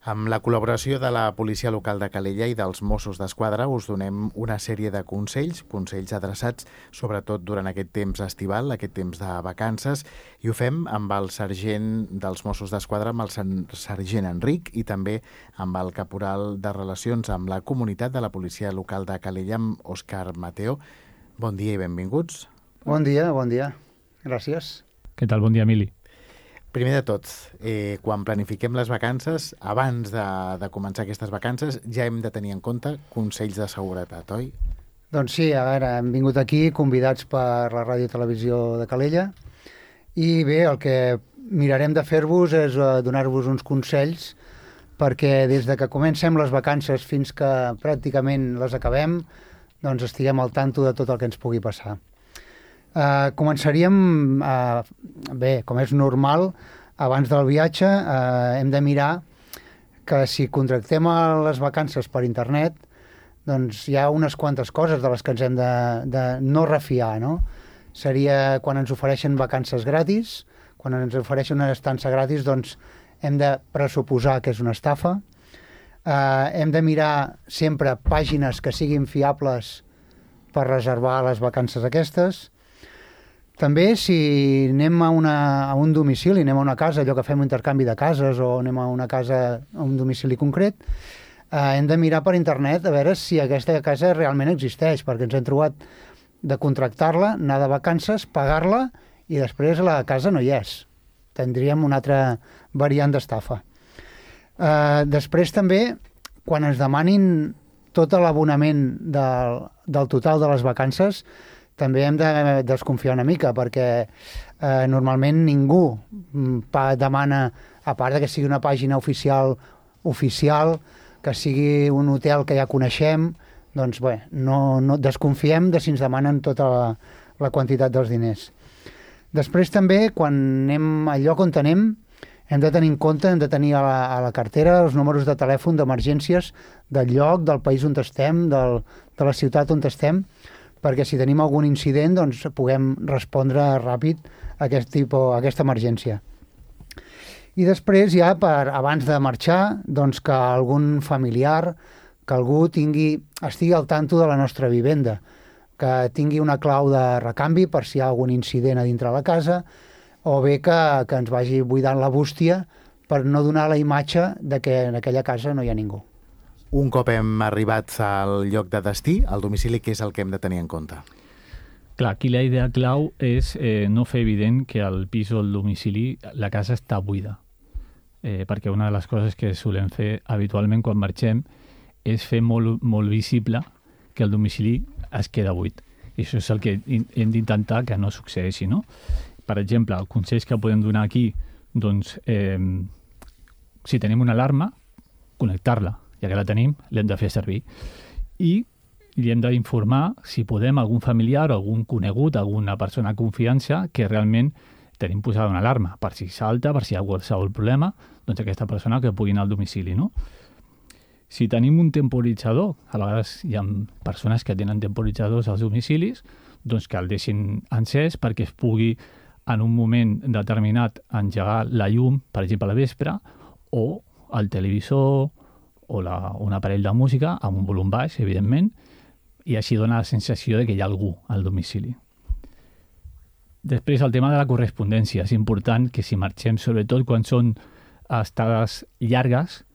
Amb la col·laboració de la Policia Local de Calella i dels Mossos d'Esquadra us donem una sèrie de consells adreçats sobretot durant aquest temps estival, aquest temps de vacances, i ho fem amb el sergent dels Mossos d'Esquadra, amb el sergent Enric, i també amb el caporal de Relacions amb la Comunitat de la Policia Local de Calella, amb Òscar Mateo. Bon dia i benvinguts. Bon dia. Gràcies. Què tal? Bon dia, Emili. Primer de tot, quan planifiquem les vacances, abans de començar aquestes vacances, ja hem de tenir en compte consells de seguretat, oi? Doncs sí, a veure, hem vingut aquí convidats per la Ràdio i Televisió de Calella i bé, el que mirarem de fer-vos és donar-vos uns consells perquè des de que comencem les vacances fins que pràcticament les acabem, doncs estiguem al tanto de tot el que ens pugui passar. Començaríem, bé, com és normal, abans del viatge hem de mirar que si contractem les vacances per internet, doncs hi ha unes quantes coses de les que ens hem de no refiar, no? Seria quan ens ofereixen vacances gratis, quan ens ofereixen una estança gratis, doncs hem de pressuposar que és una estafa. Hem de mirar sempre pàgines que siguin fiables per reservar les vacances aquestes. També, si anem a un domicili, anem a una casa, allò que fem un intercanvi de cases o anem a una casa, a un domicili concret, hem de mirar per internet a veure si aquesta casa realment existeix, perquè ens hem trobat de contractar-la, anar de vacances, pagar-la i després la casa no hi és. Tindríem una altra variant d'estafa. Després també, quan ens demanin tot l'abonament del total de les vacances, també hem de desconfiar una mica, perquè normalment ningú demana, a part que sigui una pàgina oficial, que sigui un hotel que ja coneixem, doncs bé, no desconfiem de si ens demanen tota la quantitat dels diners. Després també, quan anem al lloc on anem, hem de tenir en compte, hem de tenir a la cartera els números de telèfon d'emergències del lloc, del país on estem, de la ciutat on estem, perquè si tenim algun incident doncs puguem respondre ràpid a aquesta emergència. I després ja, abans de marxar, doncs que algun familiar, que algú estigui al tanto de la nostra vivenda, que tingui una clau de recanvi per si hi ha algun incident a dintre la casa, o bé que ens vagi buidant la bústia per no donar la imatge de que en aquella casa no hi ha ningú. Un cop hem arribat al lloc de destí, al domicili, què és el que hem de tenir en compte? Clar, aquí la idea clau és no fer evident que al pis o al domicili la casa està buida. Perquè una de les coses que solem fer habitualment quan marxem és fer molt visible que el domicili es queda buit. I això és el que hem d'intentar que no succeeixi, no? Per exemple, els consells que podem donar aquí, doncs, si tenim una alarma, connectar-la. Ja que la tenim, l'hem de fer servir. I li hem d'informar, si podem, algun familiar o algun conegut, alguna persona de confiança, que realment tenim posada una alarma. Per si salta, per si hi ha qualsevol problema, doncs aquesta persona que pugui anar al domicili, no? Si tenim un temporitzador, a vegades hi ha persones que tenen temporitzadors als domicilis, doncs que el deixin encès perquè es pugui, en un moment determinat, engegar la llum, per exemple, a la vespre, o el televisor, o un aparell de música amb un volum baix, evidentment, i així dona la sensació de que hi ha algú al domicili. Després, el tema de la correspondència. És important que si marxem, sobretot quan són estades llargues,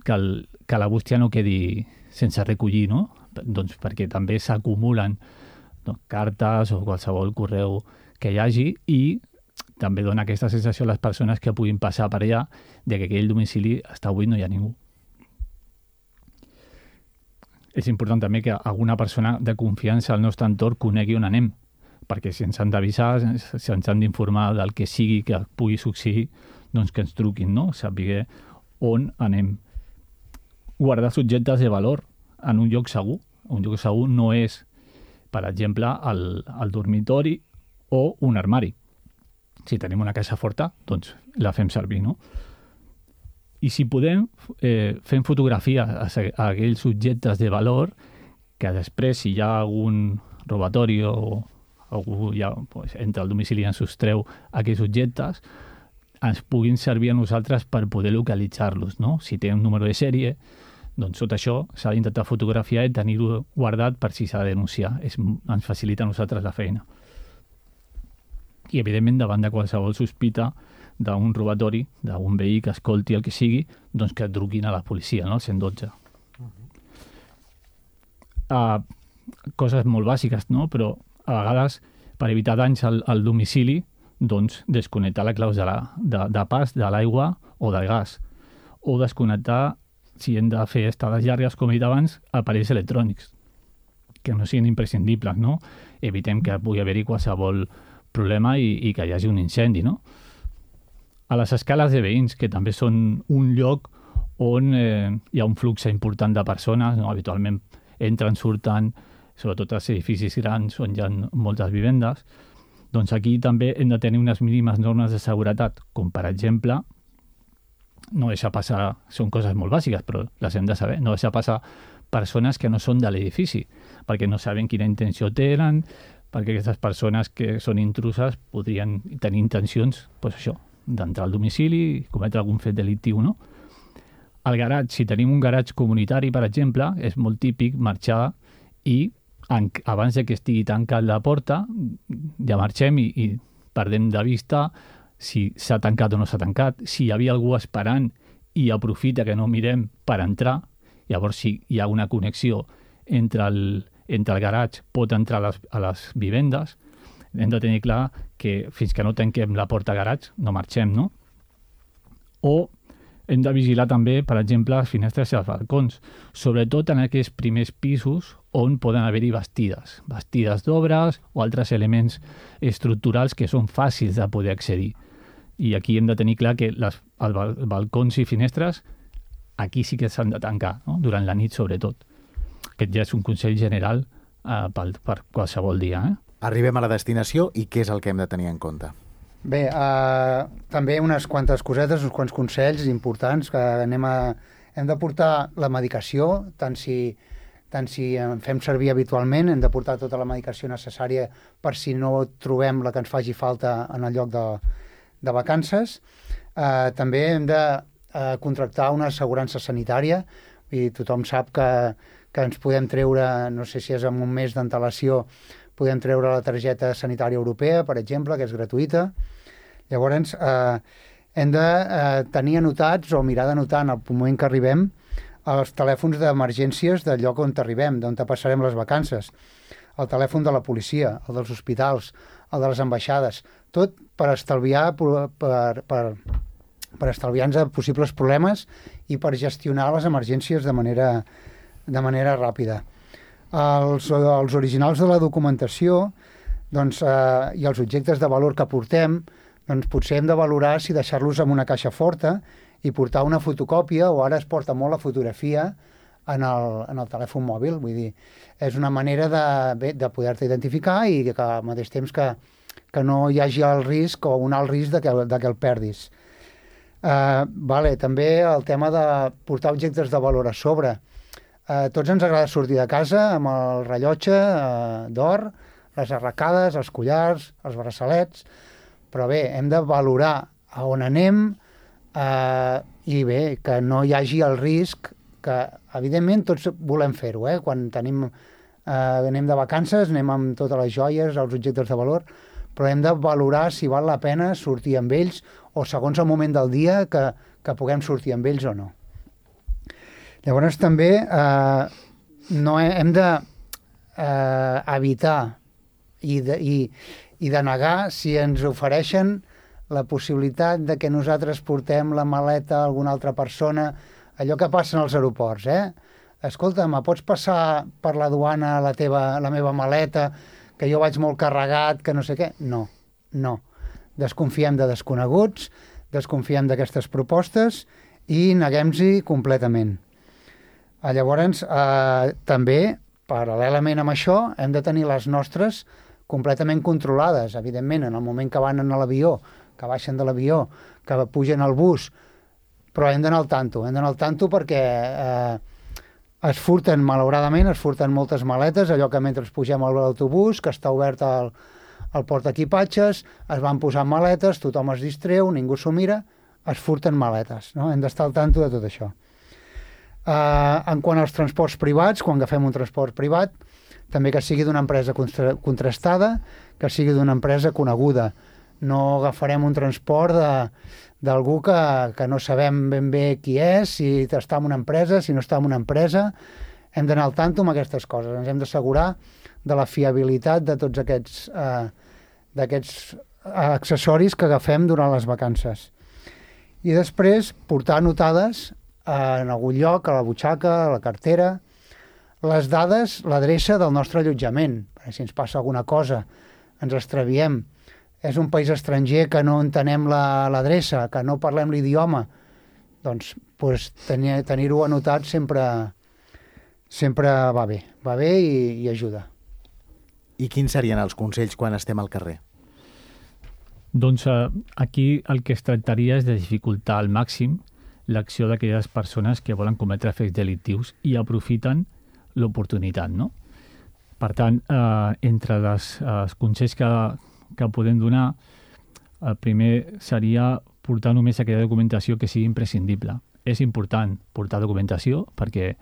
que la bústia no quedi sense recollir, no? Doncs perquè també s'acumulen cartes o qualsevol correu que hi hagi i també dona aquesta sensació a les persones que puguin passar per allà de que aquell domicili està buit, no hi ha ningú. És important també que alguna persona de confiança al nostre entorn conegui on anem, perquè si ens han d'avisar, si ens han d'informar del que sigui que pugui succeir, doncs que ens truquin, no? Saber on anem. Guardar subjectes de valor en un lloc segur. Un lloc segur no és, per exemple, el dormitori o un armari. Si tenim una casa forta, doncs la fem servir, no? I si podem, fem fotografies a aquells subjectes de valor que després, si hi ha algun robatori o algú ja entra al domicili i ens sostreu aquells objectes, ens puguin servir a nosaltres per poder localitzar-los, no? Si té un número de sèrie, doncs tot això s'ha d'intentar fotografiar i tenir-ho guardat per si s'ha de denunciar. Ens facilita a nosaltres la feina. I, evidentment, davant de qualsevol sospita d'un robatori, d'un veí que escolti el que sigui, doncs que truquin a la policia, no? Al 112. Coses molt bàsiques, no? Però a vegades, per evitar danys al domicili, doncs desconnectar la clau de pas de l'aigua o del gas, o desconnectar, si hem de fer estades llargues, com he dit abans, aparells electrònics, que no siguin imprescindibles, no? Evitem que pugui haver-hi qualsevol problema i que hi hagi un incendi, no? A les escales de veïns, que també són un lloc on hi ha un flux important de persones, no? Habitualment entren, surten, sobretot als edificis grans on hi ha moltes vivendes, doncs aquí també hem de tenir unes mínimes normes de seguretat, com per exemple, no deixar passar, són coses molt bàsiques, però les hem de saber, no deixar passar persones que no són de l'edifici, perquè no saben quina intenció tenen, perquè aquestes persones que són intruses podrien tenir intencions, doncs això, d'entrar al domicili i cometre algun fet delictiu, no? Al garatge, si tenim un garatge comunitari, per exemple, és molt típic marxar i abans de que estigui tancat la porta, ja marxem i perdem de vista si s'ha tancat o no s'ha tancat, si hi havia algú esperant i aprofita que no mirem per entrar, llavors si hi ha una connexió entre el garatge, pot entrar a les vivendes, hem de tenir clar que fins que no tanquem la porta garatge no marxem, no? O hem de vigilar també, per exemple, les finestres i els balcons, sobretot en aquests primers pisos on poden haver-hi bastides d'obres o altres elements estructurals que són fàcils de poder accedir. I aquí hem de tenir clar que els balcons i finestres aquí sí que s'han de tancar, no? Durant la nit sobretot. Aquest ja és un consell general per qualsevol dia. Arribem a la destinació i què és el que hem de tenir en compte? Bé, també unes quantes cosetes, uns quants consells importants que hem de portar la medicació, tant si en fem servir habitualment, hem de portar tota la medicació necessària per si no trobem la que ens faci falta en el lloc de vacances. També hem de contractar una assegurança sanitària, i tothom sap que ens podem treure, no sé si és amb un mes d'antelació, podem treure la targeta sanitària europea, per exemple, que és gratuïta. Llavors, hem de tenir anotats o mirar d'anotar en el moment que arribem els telèfons d'emergències del lloc on arribem, d'on passarem les vacances, el telèfon de la policia, el dels hospitals, el de les ambaixades, tot per estalviar per estalviar-nos possibles problemes i per gestionar les emergències de manera ràpida. Els originals de la documentació i els objectes de valor que portem, doncs potser hem de valorar si deixar-los en una caixa forta i portar una fotocòpia, o ara es porta molt la fotografia en el telèfon mòbil. Vull dir, és una manera de poder-te identificar i que al mateix temps que no hi hagi el risc o un alt risc de que el perdis. També el tema de portar objectes de valor a sobre. Tots ens agrada sortir de casa amb el rellotge d'or, les arracades, els collars, els braçalets, però bé, hem de valorar a on anem i bé, que no hi hagi el risc, que evidentment tots volem fer-ho, quan anem de vacances, anem amb totes les joies, els objectes de valor, però hem de valorar si val la pena sortir amb ells o segons el moment del dia que puguem sortir amb ells o no. Llavors també hem d'evitar i denegar si ens ofereixen la possibilitat de que nosaltres portem la maleta a alguna altra persona, allò que passa als aeroports, Escolta, me pots passar per la duana la meva maleta, que jo vaig molt carregat, que no sé què? No. Desconfiem de desconeguts, desconfiem d'aquestes propostes i neguem-s'hi completament. Llavors, també, paral·lelament amb això, hem de tenir les nostres completament controlades, evidentment, en el moment que van a l'avió, que baixen de l'avió, que pugen al bus, però hem d'anar al tanto perquè es furten, malauradament, moltes maletes, allò que mentre pugem a l'autobús, que està obert el portaequipatges, es van posant maletes, tothom es distreu, ningú s'ho mira, es furten maletes, no? Hem d'estar al tanto de tot això. En quant als transports privats, quan agafem un transport privat, també que sigui d'una empresa contrastada, que sigui d'una empresa coneguda. No agafarem un transport d'algú que no sabem ben bé qui és, si està en una empresa, si no està en una empresa. Hem d'anar al tanto amb aquestes coses. Ens hem d'assegurar de la fiabilitat de tots d'aquests accessoris que agafem durant les vacances. I després portar anotades en algun lloc, a la butxaca, a la cartera, les dades, l'adreça del nostre allotjament. Si ens passa alguna cosa, ens extraviem, és un país estranger que no entenem l'adreça, que no parlem l'idioma, doncs tenir-ho anotat sempre va bé i ajuda. I quins serien els consells quan estem al carrer? Doncs aquí el que es tractaria és de dificultar al màxim l'acció d'aquelles persones que volen cometre fets delictius i aprofiten l'oportunitat, no? Per tant, entre els consells que podem donar, el primer seria portar només aquella documentació que sigui imprescindible. És important portar documentació perquè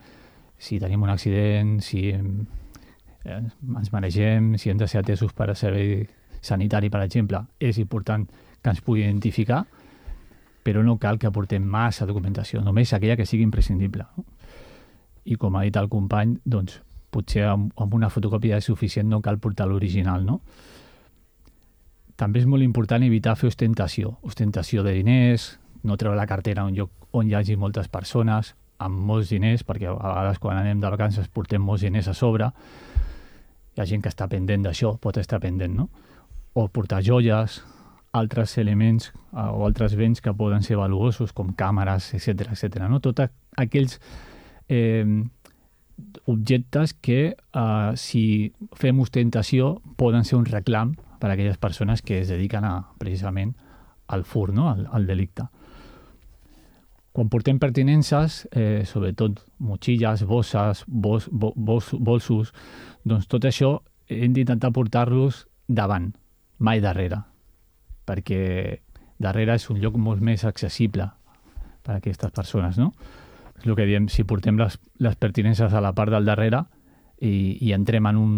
si tenim un accident, si ens maregem, si hem de ser atesos per a servei sanitari, per exemple, és important que ens pugui identificar, però no cal que aportem massa documentació, només aquella que sigui imprescindible. I com ha dit el company, doncs, potser amb una fotocòpia és suficient, no cal portar l'original, no? També és molt important evitar fer ostentació de diners, no treure la cartera a un lloc on hi hagi moltes persones, amb molts diners, perquè a vegades quan anem de vacances portem molts diners a sobre, hi ha gent que està pendent d'això, pot estar pendent, no? O portar joies, altres elements o altres béns que poden ser valuosos, com càmeres, etc., no? Tots aquells objectes que, si fem ostentació, poden ser un reclam per a aquelles persones que es dediquen precisament al furt, no? al delicte. Quan portem pertinences, sobretot motxilles, bosses, bolsos, doncs tot això hem d'intentar portar-los davant, mai darrere, perquè darrere és un lloc molt més accessible per a aquestes persones, no? És el que diem, si portem les pertinences a la part del darrere i entrem en un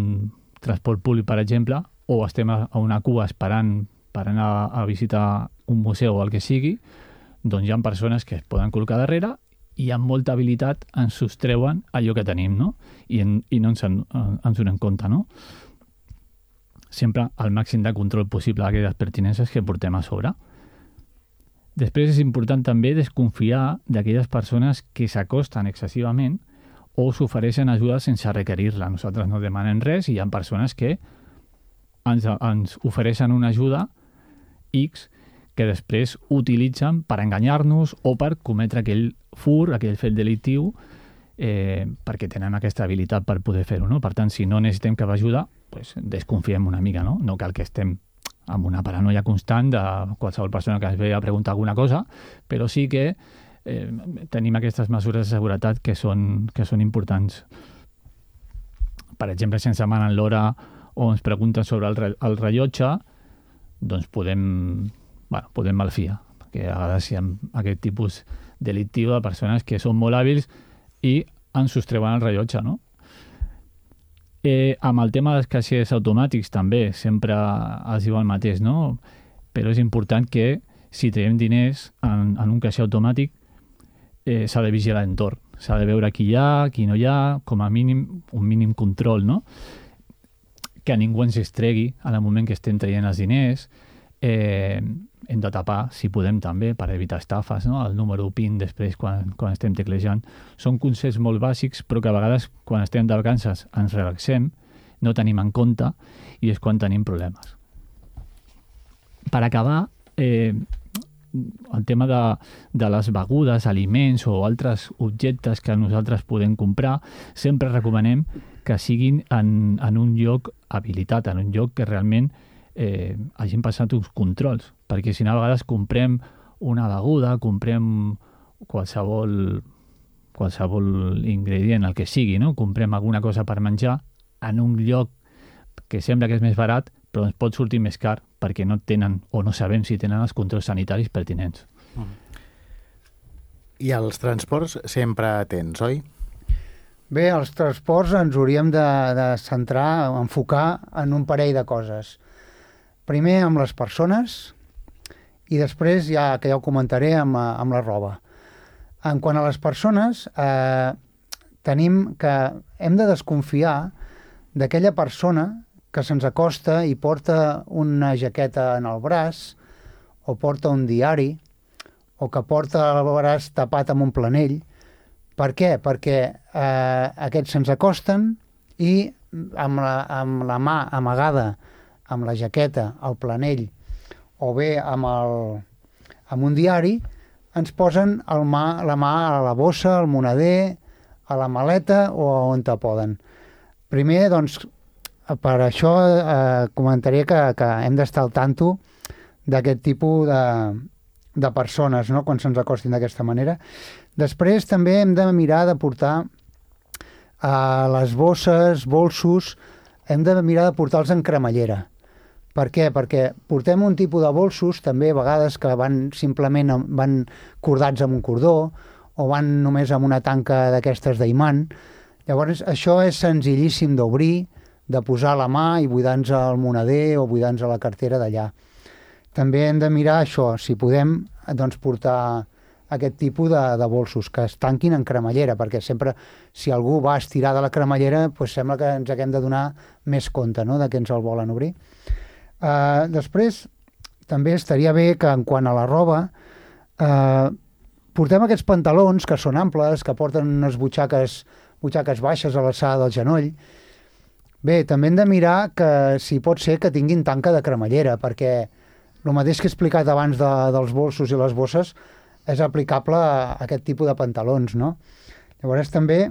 transport públic, per exemple, o estem a una cua esperant per anar a visitar un museu o el que sigui, doncs hi ha persones que es poden col·locar darrere i amb molta habilitat ens sostreuen allò que tenim, no? I no ens donem compte, no? Sempre al màxim de control possible d'aquelles pertinences que portem a sobre. Després és important també desconfiar d'aquelles persones que s'acosten excessivament o s'ofereixen ajuda sense requerir-la. Nosaltres no demanem res i hi ha persones que ens ofereixen una ajuda X que després utilitzen per enganyar-nos o per cometre aquell furt, aquell fet delictiu, perquè tenen aquesta habilitat per poder fer-ho, no? Per tant, si no necessitem cap ajuda, pues desconfiem una mica, no? No cal que estem amb una paranoia constant de qualsevol persona que ens ve a preguntar alguna cosa, però sí que tenim aquestes mesures de seguretat que són importants. Per exemple, si ens demanen l'hora o ens pregunten sobre el rellotge, doncs podem malfiar, perquè a vegades hi ha aquest tipus delictiu de persones que són molt hàbils i ens sostreuen el rellotge, no? Amb el tema dels caixers automàtics també, sempre es diu el mateix, no? Però és important que si traiem diners en un caixer automàtic s'ha de vigilar l'entorn, s'ha de veure qui hi ha, qui no hi ha, com a mínim, un mínim control, no? Que ningú ens estregui en el moment que estem traient els diners, hem de tapar, si podem també, per evitar estafes, no? El número PIN després quan estem teclejant. Són consells molt bàsics, però que a vegades quan estem de vacances ens relaxem, no tenim en compte i és quan tenim problemes. Per acabar, el tema de les begudes, aliments o altres objectes que nosaltres podem comprar, sempre recomanem que siguin en un lloc habilitat, en un lloc que realment hagin passat uns controls, perquè si no a vegades comprem una beguda, comprem qualsevol ingredient, el que sigui, no? Comprem alguna cosa per menjar en un lloc que sembla que és més barat, però ens pot sortir més car perquè no tenen o no sabem si tenen els controls sanitaris pertinents. I els transports sempre atents, oi? Bé, els transports ens hauríem de centrar, enfocar en un parell de coses. Primer amb les persones i després, ja que ja ho comentaré, amb la roba. En quant a les persones, tenim que hem de desconfiar d'aquella persona que se'ns acosta i porta una jaqueta en el braç o porta un diari o que porta el braç tapat amb un planell. Per què? Perquè aquests se'ns acosten i amb la mà amagada, amb la jaqueta, el planell o bé amb un diari, ens posen la mà a la bossa, al moneder, a la maleta o on te poden. Primer, doncs, per això comentaré que hem d'estar al tanto d'aquest tipus de persones, no?, quan se'ns acostin d'aquesta manera. Després també hem de mirar de portar les bosses, bolsos, hem de mirar de portar-los en cremallera. Per què? Perquè portem un tipus de bolsos, també a vegades que simplement van cordats amb un cordó o van només amb una tanca d'aquestes d'imant. Llavors, això és senzillíssim d'obrir, de posar la mà i buidar-nos el moneder o buidar-nos la cartera d'allà. També hem de mirar això, si podem doncs, portar aquest tipus de bolsos, que es tanquin en cremallera, perquè sempre, si algú va estirar de la cremallera, doncs sembla que ens haguem de donar més compte, no?, de que ens el volen obrir. Després, també estaria bé que, en quant a la roba, portem aquests pantalons que són amples, que porten unes butxaques baixes a l'alçada del genoll. Bé, també hem de mirar que, si pot ser, que tinguin tanca de cremallera, perquè el mateix que he explicat abans dels bolsos i les bosses és aplicable a aquest tipus de pantalons, no? Llavors també,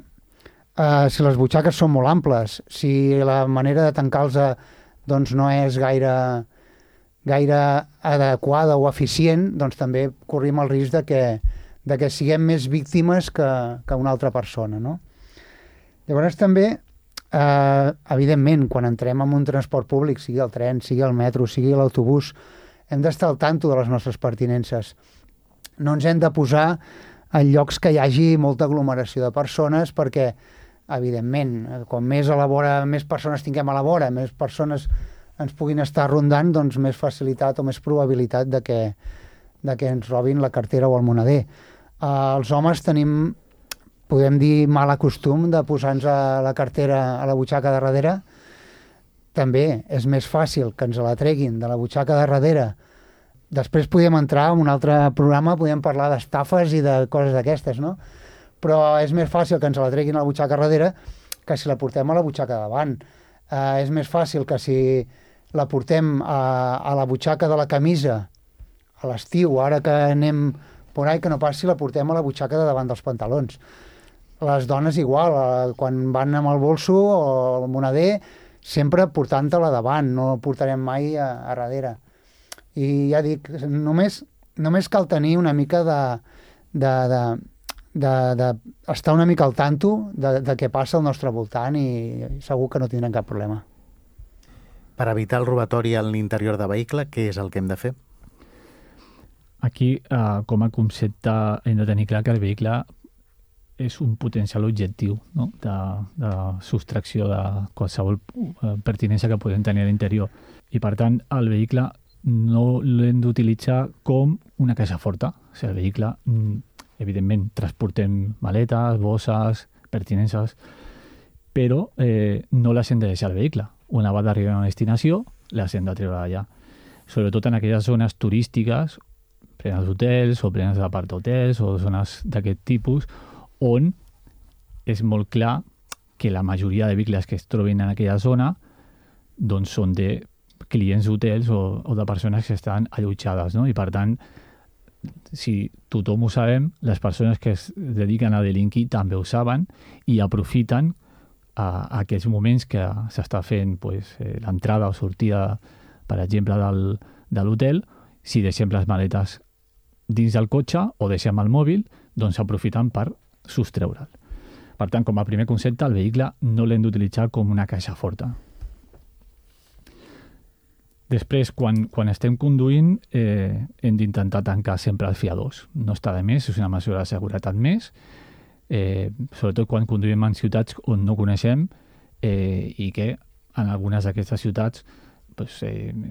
si les butxaques són molt amples, si la manera de tancar-los doncs no és gaire adequada o eficient, doncs també corrim el risc de que siguem més víctimes que una altra persona, no? Llavors també, evidentment, quan entrem en un transport públic, sigui el tren, sigui el metro, sigui l'autobús, hem d'estar al tanto de les nostres pertinences. No ens hem de posar en llocs que hi hagi molta aglomeració de persones perquè, evidentment, com més persones tinguem a la vora, més persones ens puguin estar rondant, doncs més facilitat o més probabilitat de que ens robin la cartera o el moneder. Els homes tenim, podem dir, mal costum de posar-nos la cartera a la butxaca de darrere. També és més fàcil que ens la treguin de la butxaca de darrere. Després podem entrar en un altre programa, podem parlar d'estafes i de coses d'aquestes, no? Però és més fàcil que ens la treguin a la butxaca darrere que si la portem a la butxaca davant. És més fàcil que si la portem a la butxaca de la camisa a l'estiu, ara que anem por ahí, que no pas si la portem a la butxaca de davant dels pantalons. Les dones igual, quan van amb el bolso o el moneder, sempre portant-te-la davant, no portarem mai a darrere. I ja dic, només cal tenir una mica estar una mica al tanto de què passa al nostre voltant i segur que no tindrem cap problema. Per evitar el robatori en l'interior de vehicle, què és el que hem de fer? Aquí, com a concepte, hem de tenir clar que el vehicle és un potencial objectiu, no?, de sostracció de qualsevol pertinença que podem tenir a l'interior. I, per tant, el vehicle no l'hem d'utilitzar com una caixa forta. O sigui, el vehicle, evidentment, transportem maletes, bosses, pertinences, però no les hem de deixar al vehicle. Una vegada d'arribar a una destinació, les hem de treure allà. Sobretot en aquelles zones turístiques, plenes d'hotels o plenes d'apart-hotels o zones d'aquest tipus, on és molt clar que la majoria de vehicles que es trobin en aquella zona doncs són de clients d'hotels o de persones que estan allotjades, no? I per tant, si tothom ho sabem, les persones que es dediquen a delinquir també ho saben i aprofiten aquests moments que s'està fent l'entrada o sortida, per exemple, de l'hotel. Si deixem les maletes dins del cotxe o deixem el mòbil, doncs s'aprofiten per sostreure'l. Per tant, com a primer concepte, el vehicle no l'hem d'utilitzar com una caixa forta. Després, quan estem conduint, hem d'intentar tancar sempre els fiadors. No està de més, és una mesura de seguretat més, sobretot quan conduïm en ciutats on no coneixem i que en algunes d'aquestes ciutats pues,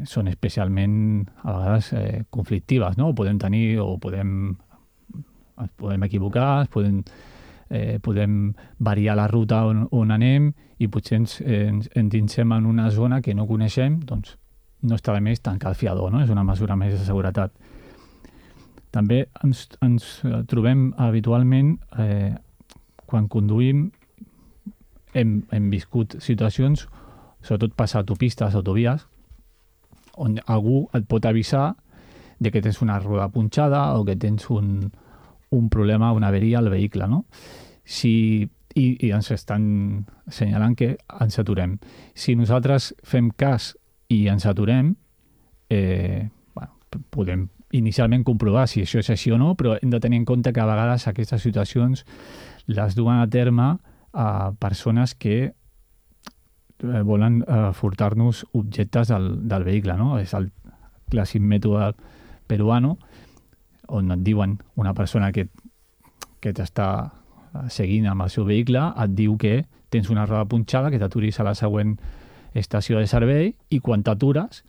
són especialment a vegades conflictives, no? Podem equivocar, podem variar la ruta on anem i potser ens endinsem en una zona que no coneixem, doncs no està de més tancar el fiador, no? És una mesura més de seguretat. També ens trobem habitualment, quan conduïm, hem viscut situacions, sobretot passar autopistes, autovies, on algú et pot avisar de que tens una roda punxada o que tens un problema, una averia al vehicle, no? I ens estan assenyalant que ens aturem. Si nosaltres fem cas i ens aturem, podem inicialment comprovar si això és així o no, però hem de tenir en compte que a vegades aquestes situacions les duen a terme a persones que volen furtar-nos objectes del vehicle, no? És el clàssic mètode peruano, on et diuen una persona que t'està seguint amb el seu vehicle, et diu que tens una roda punxada, que t'aturis a la següent estació de servei, i quan t'atures,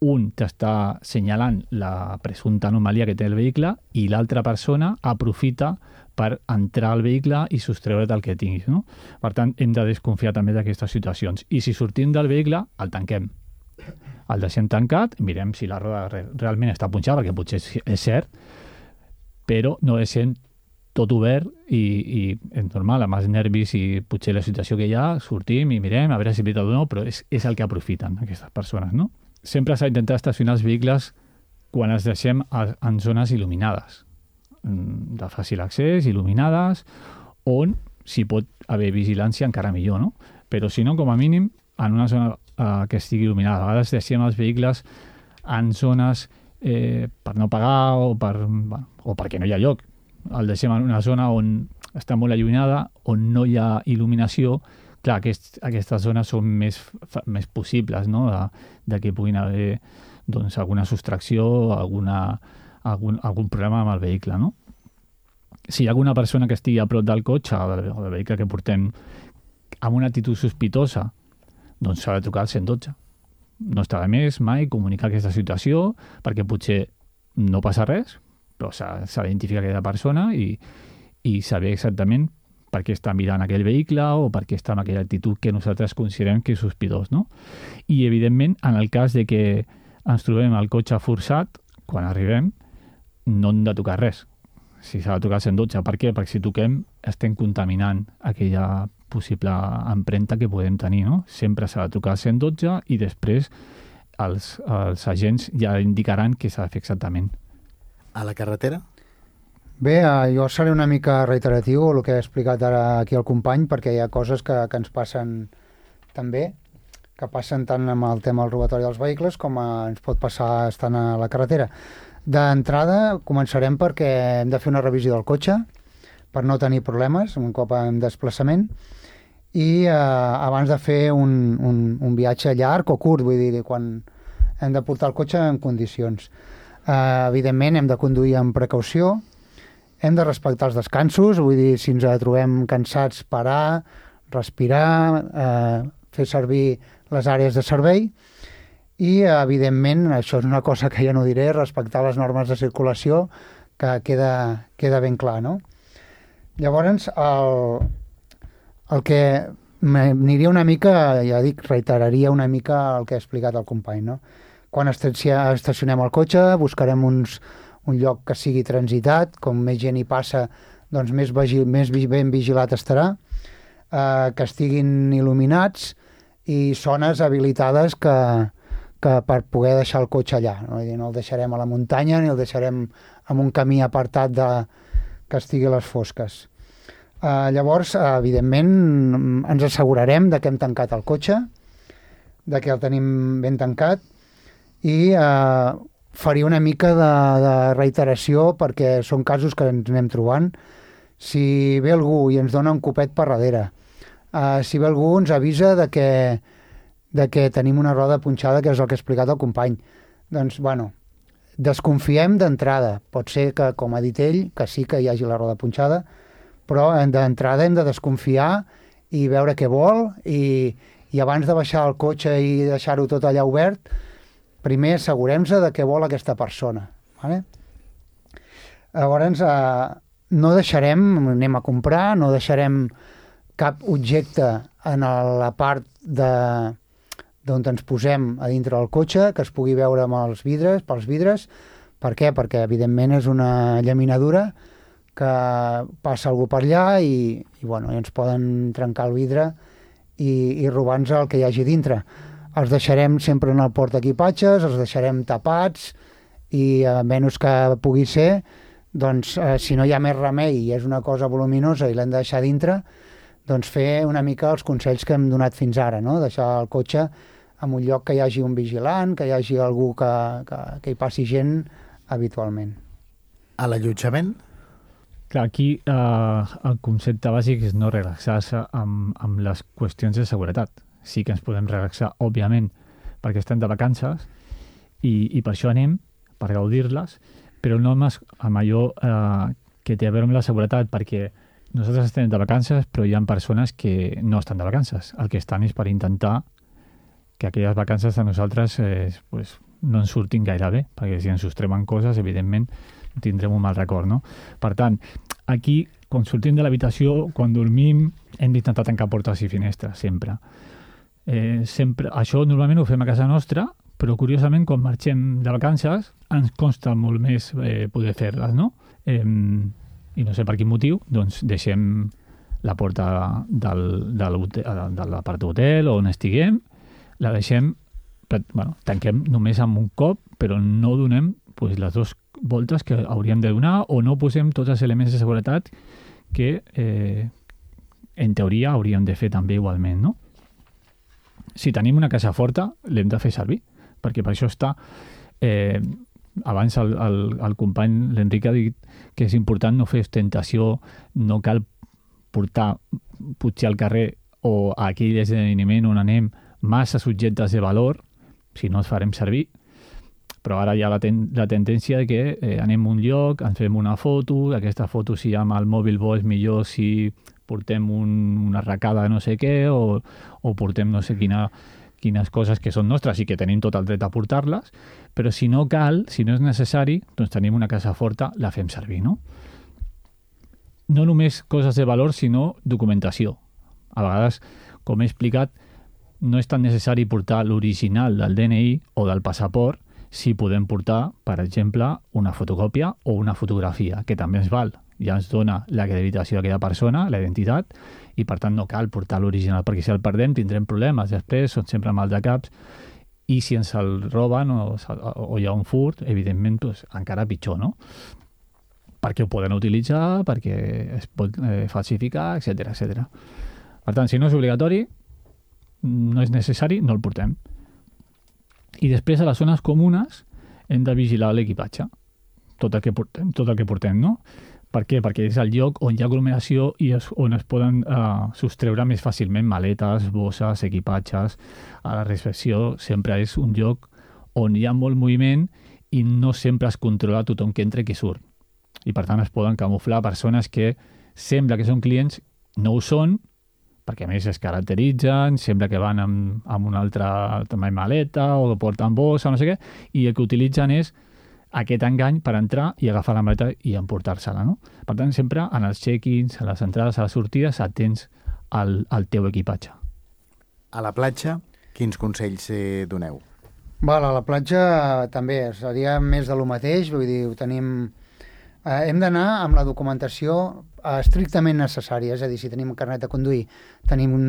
un t'està assenyalant la presumpta anomalia que té el vehicle i l'altra persona aprofita per entrar al vehicle i sostreure't el que tinguis, no? Per tant, hem de desconfiar també d'aquestes situacions. I si sortim del vehicle, el tanquem. El deixem tancat, mirem si la roda realment està punxada, perquè potser és cert, però no deixem tot obert i és normal, amb els nervis i potser la situació que hi ha, sortim i mirem a veure si és veritat o no, però és el que aprofiten aquestes persones, no? Sempre s'ha d'intentar estacionar els vehicles quan els deixem en zones il·luminades, de fàcil accés, il·luminades, on si pot haver vigilància encara millor, no? Però si no, com a mínim, en una zona que estigui il·luminada. A vegades deixem els vehicles en zones per no pagar o perquè no hi ha lloc. El deixem en una zona on està molt allunyada, on no hi ha il·luminació. Clar, aquestes zones són més possibles, no? De que puguin haver doncs, alguna sostracció, algun problema amb el vehicle, no? Si hi ha alguna persona que estigui a prop del cotxe o del vehicle que portem amb una actitud sospitosa, doncs s'ha de trucar al 112. No està de més mai comunicar aquesta situació, perquè potser no passa res, però s'ha d'identificar aquella persona i saber exactament per què està mirant aquell vehicle o per què està en aquella actitud que nosaltres considerem que és sospitós, no? I, evidentment, en el cas de que ens trobem el cotxe forçat, quan arribem, no hem de tocar res. Si s'ha de tocar el 112, per què? Perquè si toquem estem contaminant aquella possible empremta que podem tenir, no? Sempre s'ha de trucar al 112 i després els agents ja indicaran què s'ha de fer exactament. A la carretera? Bé, jo seré una mica reiteratiu el que he explicat ara aquí al company, perquè hi ha coses que ens passen també, que passen tant amb el tema del robatori dels vehicles com ens pot passar estant a la carretera. D'entrada, començarem perquè hem de fer una revisió del cotxe per no tenir problemes un cop en desplaçament i abans de fer un viatge llarg o curt, vull dir, quan hem de portar el cotxe en condicions. Evidentment, hem de conduir amb precaució, hem de respectar els descansos, vull dir, si ens trobem cansats, parar, respirar, fer servir les àrees de servei i, evidentment, això és una cosa que ja no diré, respectar les normes de circulació, que queda ben clar, no? Llavors, el que m'aniria una mica, ja dic, reiteraria una mica el que ha explicat el company, no? Quan estacionem el cotxe, buscarem un lloc que sigui transitat, com més gent hi passa, doncs més ben vigilat estarà, que estiguin il·luminats i zones habilitades que per poder deixar el cotxe allà. No el deixarem a la muntanya ni el deixarem en un camí apartat que estigui a les fosques. Llavors, evidentment, ens assegurarem de que hem tancat el cotxe, de que el tenim ben tancat i faria una mica de reiteració perquè són casos que ens anem trobant. Si ve algú i ens dona un copet per darrere, si ve algú ens avisa de de que tenim una roda punxada, que és el que ha explicat el company. Doncs, bueno, desconfiem d'entrada. Pot ser que, com ha dit ell, que sí que hi hagi la roda punxada, però d'entrada hem de desconfiar i veure què vol i abans de baixar el cotxe i deixar-ho tot allà obert, primer assegurem-se de què vol aquesta persona. Vale? Llavors, no deixarem, anem a comprar, no deixarem cap objecte en la part d'on ens posem a dintre del cotxe, que es pugui veure amb els vidres, pels vidres. Per què? Perquè, evidentment, és una llaminadura que passa algú per allà i ens poden trencar el vidre i robar-nos el que hi hagi dintre. Els deixarem sempre en el portaequipatges, els deixarem tapats i, a menys que pugui ser, doncs, si no hi ha més remei i és una cosa voluminosa i l'hem de deixar dintre, doncs fer una mica els consells que hem donat fins ara, no? Deixar el cotxe en un lloc que hi hagi un vigilant, que hi hagi algú que hi passi gent habitualment. A l'allotjament? Clar, aquí el concepte bàsic és no relaxar-se amb les qüestions de seguretat. Sí que ens podem relaxar, òbviament, perquè estem de vacances i per això anem, per gaudir-les, però no amb allò que té a veure amb la seguretat, perquè nosaltres estem de vacances, però hi ha persones que no estan de vacances. El que estan és per intentar que aquelles vacances de nosaltres no ens surtin gaire bé, perquè si ens sostremen coses, evidentment, tindrem un mal record, no? Per tant, aquí, quan sortim de l'habitació, quan dormim, hem d'intentar tancar portes i finestres, sempre. Sempre. Això normalment ho fem a casa nostra, però curiosament, quan marxem de vacances, ens costa molt més poder fer-les, no? I no sé per quin motiu, doncs deixem la porta de l'apart d'hotel o on estiguem, la deixem, tanquem només amb un cop, però no donem les dues voltes que hauríem de donar o no posem tots els elements de seguretat que en teoria hauríem de fer també igualment, no? Si tenim una casa forta, l'hem de fer servir, perquè per això està... Abans el company, l'Enric, ha dit que és important no fer ostentació, no cal pujar al carrer o a aquell esdeveniment on anem massa subjectes de valor, si no els farem servir, però ara hi ha la tendència de que anem a un lloc, ens fem una foto, aquesta foto si amb el mòbil bo és millor si portem una arracada de no sé què o portem no sé quines coses que són nostres i que tenim tot el dret a portar-les, però si no cal, si no és necessari, doncs tenim una casa forta, la fem servir, no? No només coses de valor, sinó documentació. A vegades, com he explicat, no és tan necessari portar l'original del DNI o del passaport si podem portar, per exemple, una fotocòpia o una fotografia, que també ens val. Ja ens dona l'acreditació d'aquella persona, la identitat, i per tant no cal portar l'original, perquè si el perdem tindrem problemes després, són sempre mal de caps, i si ens el roben o hi ha un furt, evidentment doncs, encara pitjor, no? Perquè ho poden utilitzar, perquè es pot falsificar, etc etc. Per tant, si no és obligatori, no és necessari, no el portem. I després a les zones comunes hem de vigilar l'equipatge, tot el que portem, no? Per què? Perquè és el lloc on hi ha aglomeració i on es poden sostreure més fàcilment maletes, bosses, equipatges. A la recepció sempre és un lloc on hi ha molt moviment i no sempre es controla tothom que entra i que surt. I per tant es poden camuflar persones que sembla que són clients, no ho són, perquè a més es caracteritzen, sembla que van amb una altra també maleta o que porten bossa, no sé què, i el que utilitzen és aquest engany per entrar i agafar la maleta i emportar-se-la, no? Per tant, sempre en els check-ins, a les entrades, a les sortides, atents al teu equipatge. A la platja, quins consells doneu? A la platja també seria més de lo mateix, vull dir, ho tenim... hem d'anar amb la documentació estrictament necessària, és a dir, si tenim un carnet de conduir, tenim un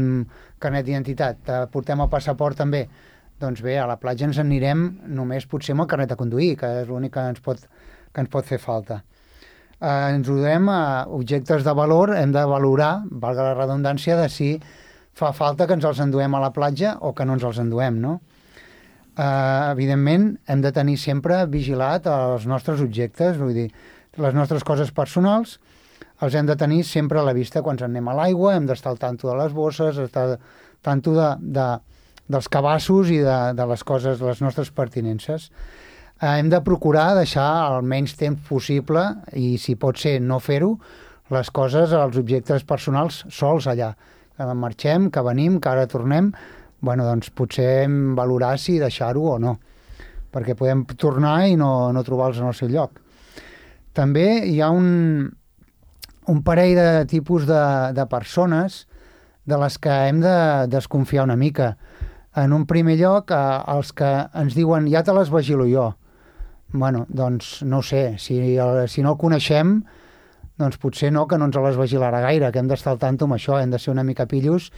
carnet d'identitat, portem el passaport també, doncs bé, a la platja ens anirem només potser amb el carnet de conduir, que és l'únic que ens pot fer falta. Ens ho duem a objectes de valor, hem de valorar, valga la redundància, de si fa falta que ens els enduem a la platja o que no ens els enduem, no? Evidentment, hem de tenir sempre vigilat els nostres objectes, vull dir, les nostres coses personals, els hem de tenir sempre a la vista quan anem a l'aigua, hem d'estar al tanto de les bosses, estar al tanto dels cabassos i de les coses, les nostres pertinences. Hem de procurar deixar el menys temps possible i, si pot ser, no fer-ho, les coses, els objectes personals sols allà. Que marxem, que venim, que ara tornem, bueno, doncs potser hem valorar si deixar-ho o no, perquè podem tornar i no trobar-los en el seu lloc. També hi ha un parell de tipus de persones de les que hem de desconfiar una mica. En un primer lloc, els que ens diuen ja te les vigilo jo. Bueno, doncs no ho sé, si no el coneixem, doncs potser no, que no ens les vigilarà gaire, que hem d'estar al tanto amb això, hem de ser una mica pillos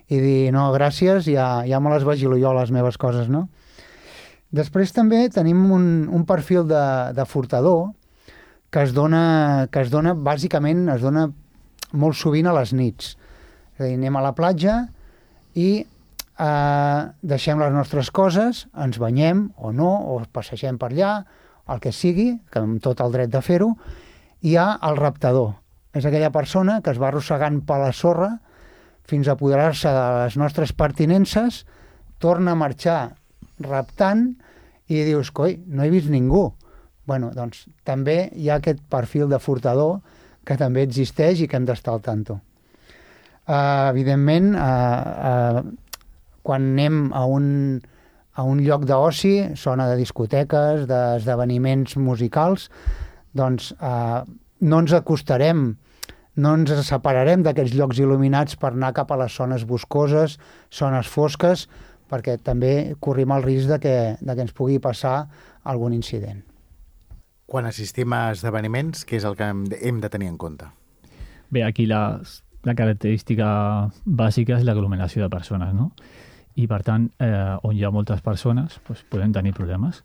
i dir, no, gràcies, ja me les vigilo jo, les meves coses, no? Després també tenim un perfil de furtador que es dona, bàsicament, es dona molt sovint a les nits. És a dir, anem a la platja i deixem les nostres coses, ens banyem o no, o passegem per allà, el que sigui, que amb tot el dret de fer-ho. Hi ha el raptador. És aquella persona que es va arrossegant per la sorra fins a apoderar-se de les nostres pertinences, torna a marxar raptant i dius, coi, no he vist ningú. Bueno, doncs també hi ha aquest perfil de furtador que també existeix i que hem d'estar al tanto. Evidentment, quan anem a un lloc d'oci, zona de discoteques, d'esdeveniments musicals, doncs no ens acostarem, no ens separarem d'aquests llocs il·luminats per anar cap a les zones boscoses, zones fosques, perquè també corrim el risc de que ens pugui passar algun incident. Quan assistim a esdeveniments, què és el que hem de tenir en compte? Bé, aquí la característica bàsica és l'aglomeració de persones, no? I, per tant, on hi ha moltes persones, doncs podem tenir problemes.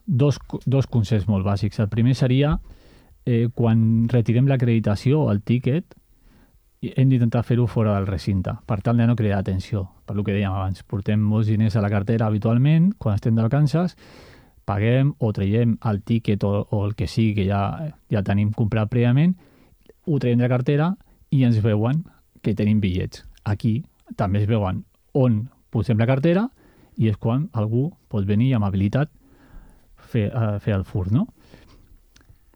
Dos consells molt bàsics. El primer seria, quan retirem l'acreditació o el tíquet, hem d'intentar fer-ho fora del recinte, per tal de no crear atenció. Per el que dèiem abans, portem molts diners a la cartera habitualment, quan estem de vacances, paguem o traiem el tíquet o el que sigui que ja tenim comprat prèviament, ho traiem de la cartera i ens veuen que tenim bitllets. Aquí també es veuen on posem la cartera i és quan algú pot venir amb habilitat fer el furt, no?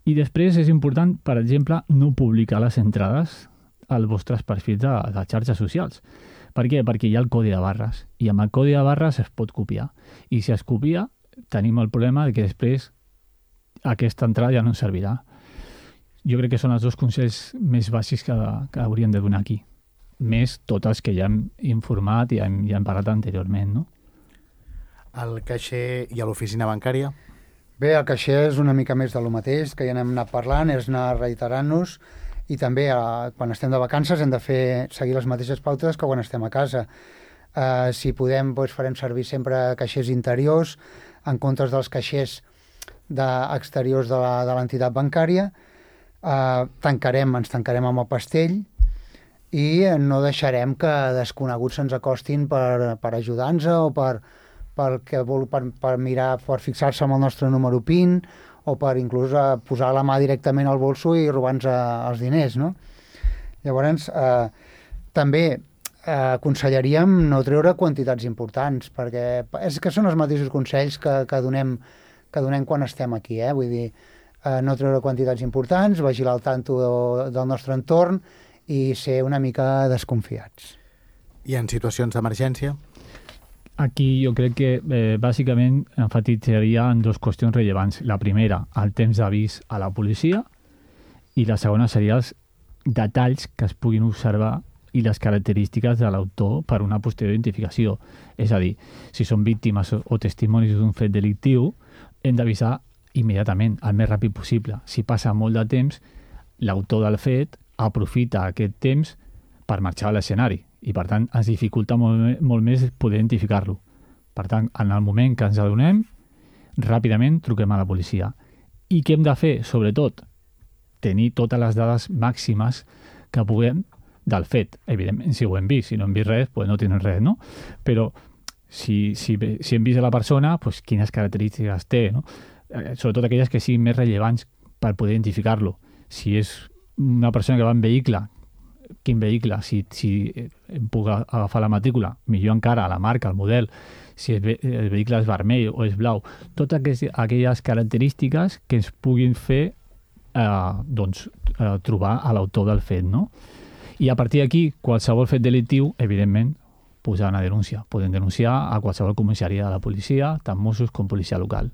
I després és important, per exemple, no publicar les entrades als vostres perfils de xarxes socials. Per què? Perquè hi ha el codi de barres i amb el codi de barres es pot copiar. I si es copia, tenim el problema de que després aquesta entrada ja no ens servirà. Jo crec que són els dos consells més bàsics que hauríem de donar aquí. Més tots els que ja hem informat i ja hem parlat anteriorment, no? El caixer i a l'oficina bancària? Bé, el caixer és una mica més de lo mateix, que ja n'hem anat parlant, és anar reiterant-nos, i també quan estem de vacances hem de seguir les mateixes pautes que quan estem a casa. Si podem, doncs farem servir sempre caixers interiors en comptes dels caixers exteriors de l'entitat bancària. Ens tancarem amb el pastell i no deixarem que desconeguts se'ns acostin per ajudar-nos o per mirar, per fixar-se amb el nostre número PIN o per inclús posar la mà directament al bolso i robar-nos els diners, no? Llavors, també aconsellaríem no treure quantitats importants, perquè és que són els mateixos consells que donem quan estem aquí, vull dir, no treure quantitats importants, vigilar al tanto del nostre entorn i ser una mica desconfiats. I en situacions d'emergència? Aquí jo crec que bàsicament enfatitzaria en dues qüestions rellevants. La primera, el temps d'avís a la policia, i la segona seria els detalls que es puguin observar i les característiques de l'autor per una posterior identificació. És a dir, si són víctimes o testimonis d'un fet delictiu, hem d'avisar immediatament, el més ràpid possible. Si passa molt de temps, l'autor del fet aprofita aquest temps per marxar a l'escenari i, per tant, ens dificulta molt més poder identificar-lo. Per tant, en el moment que ens adonem, ràpidament truquem a la policia. I què hem de fer? Sobretot, tenir totes les dades màximes que puguem del fet. Evidentment, si ho hem vist, si no hem vist res, doncs no tenim res, no? Però si hem vist a la persona, doncs quines característiques té, no? Sobretot aquelles que siguin més rellevants per poder identificar-lo. Si és una persona que va en vehicle quin vehicle, si em puc agafar la matrícula, millor encara, la marca, el model, si el vehicle és vermell o és blau, totes aquelles característiques que ens puguin fer trobar a l'autor del fet, no? I a partir d'aquí, qualsevol fet delictiu, evidentment, posar una denúncia. Poden denunciar a qualsevol comissaria de la policia, tant Mossos com policia local.